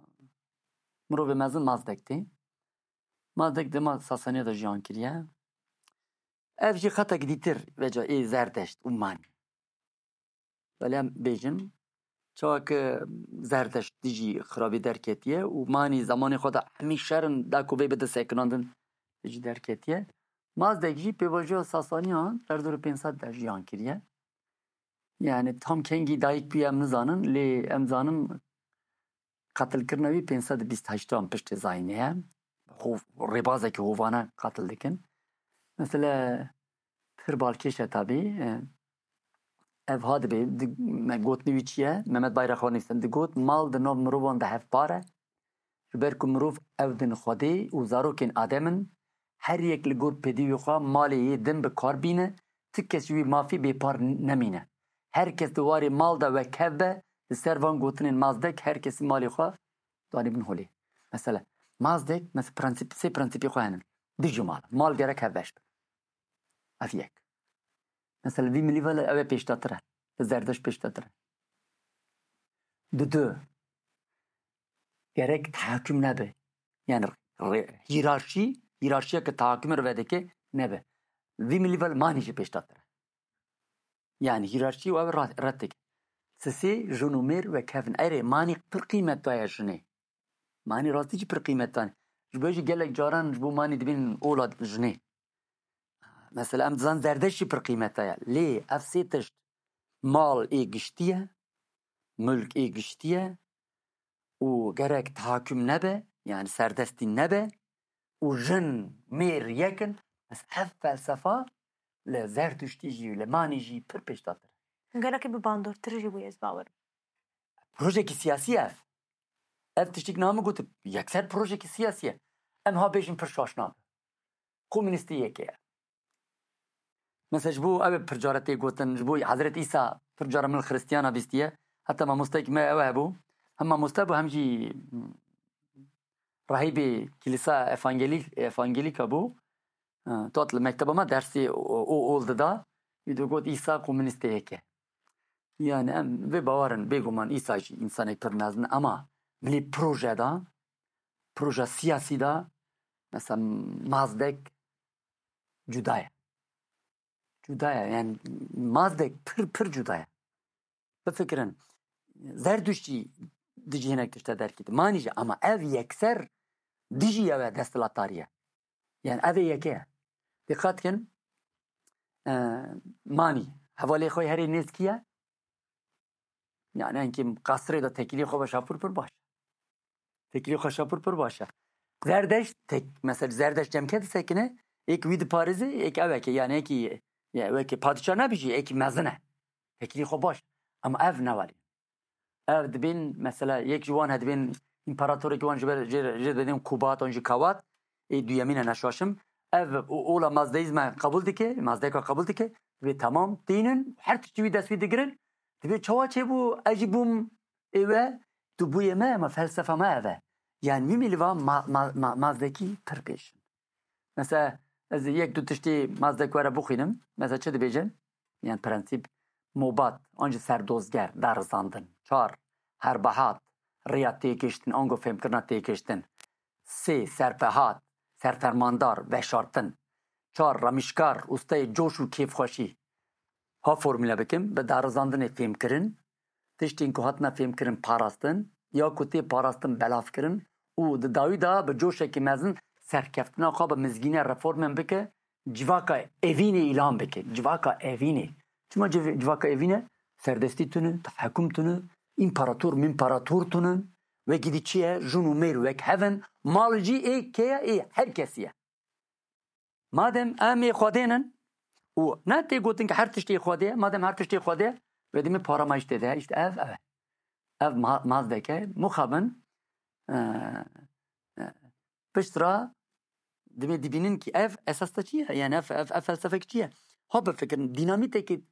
mirovê mezin Mazdek tê. Mazdek dema Sasaniya de jiyan kiriye. Ev jî xetek dîtir veca ê Zerdeşt û Manî. Belê em bêjin, çawa ke Zerdeşt dijî xirabî derketiye û Manî zemanê xwe de hemî şer in, da ku vê bide sekinandin, dijî derketiye. Mazdek jî pêvajoya Sasaniyan derdorê pênc sed de jiyan kiriye. Yani tam kengî dayik bûye em nizanin, lê em zanin qetilkirina wî pênc sed û bîst heştan piştê zayînê ye. Hov-, rêbazekî hovane qetil dikin. Mesele pir balkêş e tabî. E, ev ha dibe, di, me gotinê wî çi ye? Mehmet Bayrak ha nivîsand, digot, mal di nav mirovan de hevpar e. Ji ber ku mirov ew din Xwedê û zarokên Adem in, her yek li gor pêdivî xwe malê yê din bi kar bîne, ti kes ji wî mafî bêpar nemîne. Her kes di warê mal de wekhev be, li ser van gotinên Mazdek her kesî malê xwe danî bin holê. Mesela, Mazdek, mes-, prensîp, sê prensîpê xwe hene. Dijî mal. Mal gerek hevbeş be. Ev yek. Mesela, vî milî ve ew ê pêşdatir e. Li Zerdeşt pêşdatir e. Didu, gerek tehakum nebe. Yani re-, hiyerarşî, hiyerarşiya ke tehakumê re vedike nebe. Vî milî ve Manî jî pêşdatir e. Yani hiyerarşî û ew re-, red dike. Sisê jin û mêr wekhev in. Erê, Manî pir qîmeta ye jinê. Manî rastî jî pir qîmeta ne. Ji bo jî gelek caran ji bo Manî dibên ola jinê. Mesela em dizan Zerdeşt jî pir qîmeta ye. Lê ev sê tişt, mal ê giştî ye, mulk ê giştî ye û gerek tehakum nebe, yani serdestî nebe û jin mêr yek in. Bes ev felsefa li Zertuştî jî, li Manî jî pir pêşdatir e. Gelekî bi bandortir jî bûye, ez bawer im. Projekî siyasî ev. Ev tiştik name gotin, yekser projekî siyasî ye. Em ha bêjin pir şaş nabe. Komûnîstê yekê ye. Mesela ji bo ew ê pir care tê gotin, ji bo Hezret Îsa pir care min li Xiristiyana bîstiye. Heta mamostekî me ew hebû. Hem mamoste bû hem jî rahîbê Kilîsa Evangelî-, Evangelîka bû. Ha, tu hat li mekteba me dersê o, o, ol dida. Wî digot Îsa komûnîstê yekê. Yani em vê bawer in, bêguman Îsa jî însanek pir mezin e, ama milî proje de, proje siyasî de, mesela Mazdek cuda ye. Cuda ye. Yani Mazdek pir, pir cuda ye. Bifikirin, Zerduştî dijî hinek tişte derkî. Manî jî, ama ev yekser dijî ew e, desthilatdarî ye. Yani ev ê yekê ye. Dîqat kin, e, Manî, hevalê xwe herê nêzkî ye. Yani enkî qasirê de tekilî xwe be şapûr pir baş e. Tekilî xwe şapûr pir baş e. Zerdeşt tek, mesela Zerdeşt cemke disekine, êk wî diparêze, êk ew eke, yani êkî, ya, weke padîşah nebijî, êkî mezin e. Tekilî xwe baş. Ama ev ne welî. Ev dibên, mesela, yek ji wan he dibên împaratorek wan ji ber, jê, jê dibên Kubat, an jî Kawat, ê duyemîn e neşaşim. Ev o-, ola mazdeîzme qebûl dike, mazdeka qebûl dike, dibê tamam tînin, her tiştî wî dest wî digirin. Dibê çawa çêbû, ez jî bûm ê we, tu bûyê me, ama felsefa me ev e. Yani wî milî va ma-, ma-, ma-, mazdekî pir pêş in. Mesela, ez yek du tiştî Mazdek were bixwînim. Mesela çi dibêje? Yani prensîp, mobat, an jî serdozger, darizandin. Çar, herbehat, rêya têgiştin, ango fêmkirina têgiştin. Sê, serpehat, serfermandar, veşartin. Çar, ramîşkar, ustayê coş û kêfxweşî. Ha formule bikim, bi darizandinê fêmkirin, tiştên ku hatine fêmkirin parastin, ya ku tê parastin belavkirin û di dawî de bi coşekî mezin serkeftina xwe bi mizgîne reformên bike, civaka evînê îlan bike. Civaka evînê. Çima civ-, civaka evîne? Serdestî tune, tehekum tune, împarator, mîmparator tune. Wekî dî çi ye? Jin û mêr wek hev in. Mal jî ê kê ye? Ê her kesî ye. Madem em ê Xwedê nin û ne tê gotin ki her tiştê Xwedê ye, madem her tiştê Xwedê ye, wê demê para me jî tê de, işte ev, ev e. Ev ma-, mazdeke, muxabin, e, e, pişt ra demê dibînin ki ev esas te çi ye? Yani ev, ev, ev felsefek çi ye? Ha bifikirin, dînamîtekê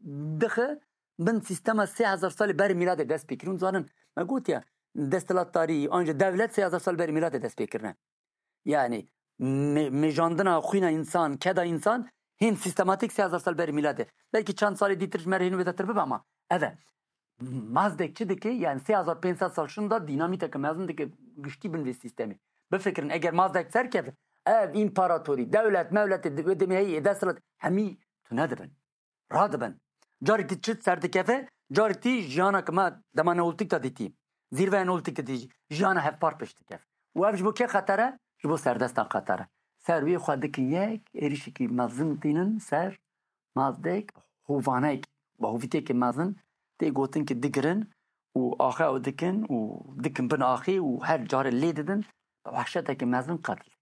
dixe bin sîstema sê hezar salê berî mîladê dest pê kirin. Zanin, me gotiye, desthilatdarî, anca dewlet sê hezar sal berî mîladê dest pê kirine. Yani mê-, mêjandina xwîna însan, keda însan hîn sîstematîk sê hezar sal berî mîladê. Belkî çend salê dîtir ji me re hîn wêdetir bibe ama ev e. Mazdek çi dike? Yani sê hezar pênc sed sal şinda dînamîteke mezin dike giştî bin vê sîstemê. Bifikirin, eger Mazdek serkeve, ev împaratorî, dewlet, mewletê di-, wê demê heyî, desthilat, hemî tune dibin. Radibin. Carek dî çi serdikeve, carek dî jiyana ki me dema Neolîtîk de dîtî, zîrveya Neolîtîk de dîtî, jiyana hevpar pêş dikeve. Û ev ji bo kê xeter e? Ji bo serdestan xeter e. Ser wê xwe dikin yek, êrişekî mezin tînin ser Mazdek, hovanek, bi hovîtiyekê mezin tê gotin ki digirin û axê ew dikin û dikin bin axê û her carê lê didin, bi wehşetekî mezin qetil dikin.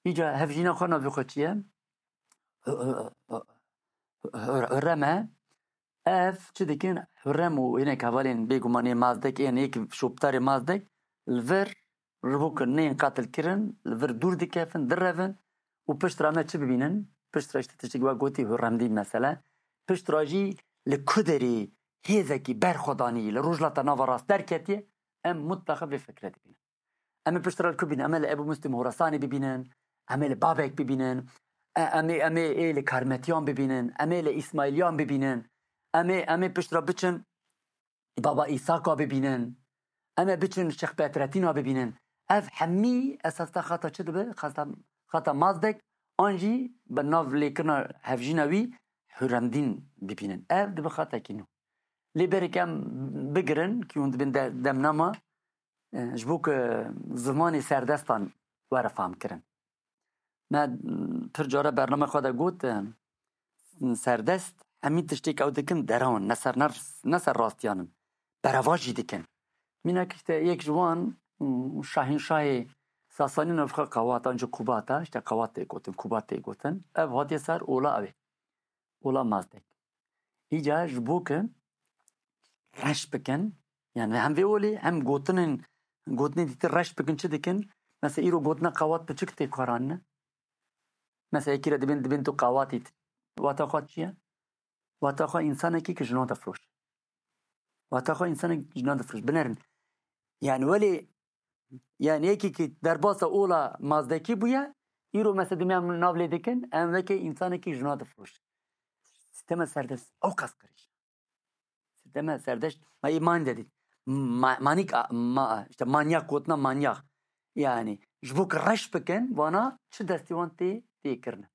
Îca hevjîna xwe navê xwe çi ye? Hurrem e. Ev çi dikin? Hurrem û hinek hevalên bêgumanê Mazdek, ên yek şoptarê Mazdek li vir ji bo ku neyên qetil kirin, li vir dûr dikevin, direvin û pişt re me çi bibînin? Pişt re işte tiştekî we gotî Hurremdîn mesele. Pişt re jî li ku derê hêzekî berxwedanî li Rojhilata Nava Rast derketiye, em mutlaqa vê fikre dibînin. Em ê piştre li ku bînin? Em ê li Ebû Muslim Horasanê bibînin, em ê li Babek bibînin, e, em ê, em ê, ê li Karmetiyan bibînin, em ê li Îsmaîliyan bibînin, em ê, em ê piştre biçin Baba Îsaka bibînin, em ê biçin Şêx Bedretîna bibînin. Ev hemî esas te xata çi dibe? Xata, xata Mazdek an jî bi nav lêkirina hevjîna wî Hurremdîn bibînin. Ev dibe xatekî nû. Lê berek em bigirin, ki hûn dibin de-, demnama, e, ji bo ku zimanê serdestan were fehmkirin. Me, m, pir care bername xwe de got, e, serdest hemî tiştê ku ew dikin derew in, ne ser nerv-, ne ser rastiyan in. Berevaj jî dikin. Mînak işte yek ji wan, m, şahînşahê Sasanî navxwe Qawat, anca Kubat e, işte Qawat tê gotin, Kubat tê gotin. Ev hatiye ser ola ew ê. Ola Mazdek. Îca ji bo ku reş bikin, yani hem vê olê hem gotinên, gotinên dîtir reş bikin, çi dikin? Mesela îro gotina Qawat piçik tê karanine. Mesela yekî re dibên, dibên tu Qawatî, wata xwe çi ye? Wata xwe însanekî ki jinan difiroşe. Wata xwe însanek jinan difiroşe. Binerin. Yani welê, yani yekî ki derbasa ola Mazdekî bûye, îro mesela dibên em nav lê dikin, em weke însanekî jinan difiroşe. Sîstema serdest ew qas qirêj. Sîstema serdest, ma îman de dît. ma- manik a- ma, işte manyak gotina manyak. Yani ji bo ku reş bikin vana çi destî wan tê tê kirine.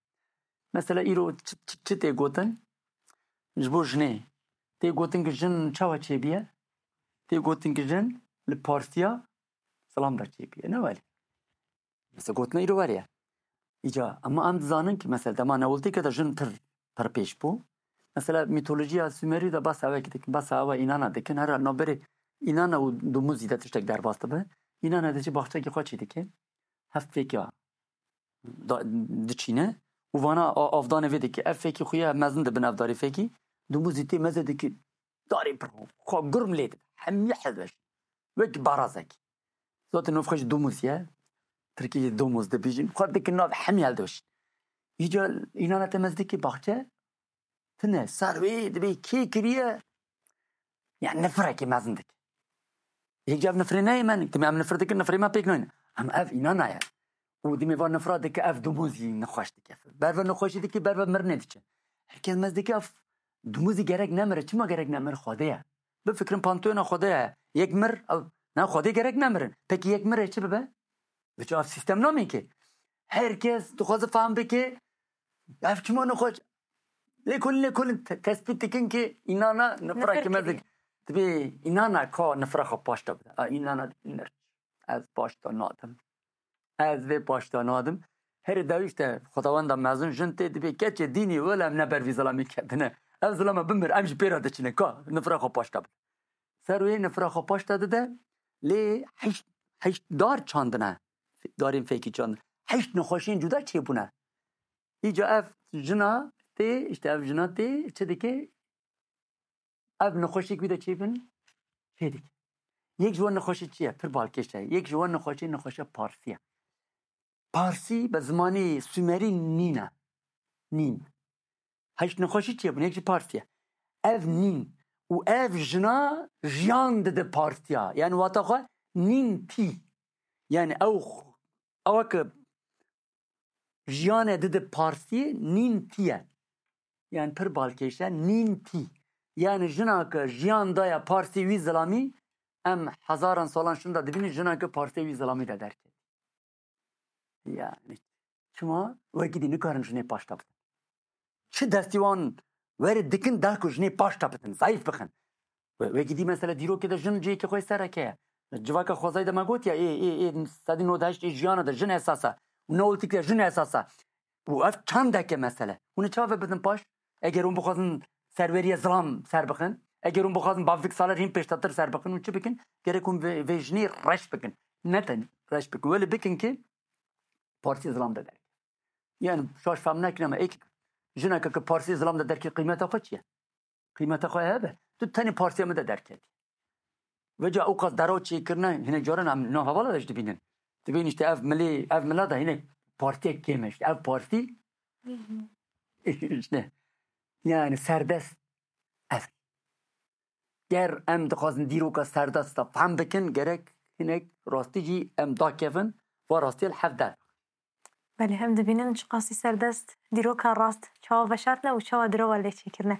Mesela îro çi, çi, çi tê gotin? Ji bo jinê tê gotin ki jin çawa çêbiye? Tê gotin ki jin li partiya zilam de çêbiye. Ne welî? Mesela gotina îro weriye. Îca, ama em dizanin ki mesela dema Neolîtîke de jin pir, pir pêş bû. Mesela mîtolojiya Sumerî de basa wekî dikin, basa ewa înana dikin. Her navberê înana û dumuzî de tiştek derbas dibe. Înana de jî baxçekî xwe çî dike. Heft fêkiya da- diçîne û vana a- avdanê vê dike. Ev fêkî xuya mezin dibin ev darê fêkî. Dumuzî tê meze dike darê pir xwe gurm lê dibe. Hemî hezbeş. Wek barazek. Zaten nov xwe jî domuz ye. Tirkî jî domuz dibêjin. Xwe dikin nav hemî heldoş. Îca înana te mez dike baxçe. Tine ser wê dibê kê kiriye. Yani nifrekê mezin dike. Yek ev nifrê neyê me, dime em nifir dikin, nifrê me pêk nayne. Em ev înana ye. Û dime va nifra dike ev domuzî nixweş dike. Berve nixweşî dike, berve mirinê diçe. Herkes mez dike ev domuzî gerek nemire. Çima gerek nemire? Xwedê ye. Bifikirin pantolona Xwedê ye. Yek mir, ew, na Xwedê gerek nemirin. Peki yek mirê çi bibe? Biçe ev sîstem namê ki. Herkes dixwaze fehm bike. Ev çima nixweş? Lê kulin, lê kulin te- tespît dikin ki înana nifra Nifir ki mezin kiriye. Dibê înana ka nifra xwe paşta bide. A, înana nir. Ez paşta nadim. Ez vê paşta nadim. Herê dewî işte Xwedawenda mezin jin tê dibê keçê dînî wele em ne ber vî zilamî ketine. Ev zilama bimir, em jî pê re diçine. Ka nifra xwe paşta bide. Ser wê nifra xwe paşta dide. Lê heşt, heşt dar çandine. Darên fêkî çandin. Heşt nexweşiyên cuda çêbûne. Îca ev jina tê, işte ev jina tê, çi dike? Ev nexweşiyek wî de çêbin, çê dike. Yek ji wan nexweşî çi ye? Pir balkêş e. Yek ji wan nexweşî nexweşe parsî ye. Parsî bi zimanê Sumerî nîn e. Nîn. Heşt nexweşî çêbûn, yek jî parsî ye. Ev nîn. Û ev jina jiyan dide partiya. Yani wata xwe nîn tî. Yani ew, ew ke jiyane dide parsî nîn tî ye. Yani pir balkêş e, nîn tî. Yani jina ke jiyan daye parsî wî zilamî, em hezaran salan şinda dibînin jina ke parsê wî zilamî de derket. Yani çima wekî dî nikarin jinê paşta bidin? Çi destî wan were dikin da ku jinê paşta bidin, zayîf bixin? We-, wekî dî mesela dîrokê de jin cihêkê xwe sereke ye. Civaka xwezayî de me gotiye, ê, ê, ê, sedî nod heşt ê jiyana de jin esas e. Û neolîtîk de jin esas e. Û ev çandeke mesele. Hûn ê çawa ve bidin paş? Eger hûn bixwazin serweriye zilam ser bixin, eger hûn bixwazin bavdek saler hîn pêştatir ser bixin, hûn çi bikin? Gerek hûn vê, vê jinê reş bikin. Ne tenê reş bikin. Wele bikin ki parsî zilam de derke. Yani şaş fehm nekin ama ek jineke ki parsî zilam de derke qîmeta xwe çi ye? Qîmeta xwe hebe. Tu tenê partiya min de derketî. Veca ew qas deraw çêkirine, hinek caran em na hevala de jî dibînin. Dibîn işte ev milê, ev mila de hinek partiyek kêm e. İşte ev partî, işte, yani serdest ev. Ger em dixwazin dîroka serdest de fehm bikin, gerek hinek rastî jî em dakevin, va rastiye li hev der. Belê, em dibînin çiqasî serdest dîroka rast çawa veşartine û çawa dirova lê çêkirine.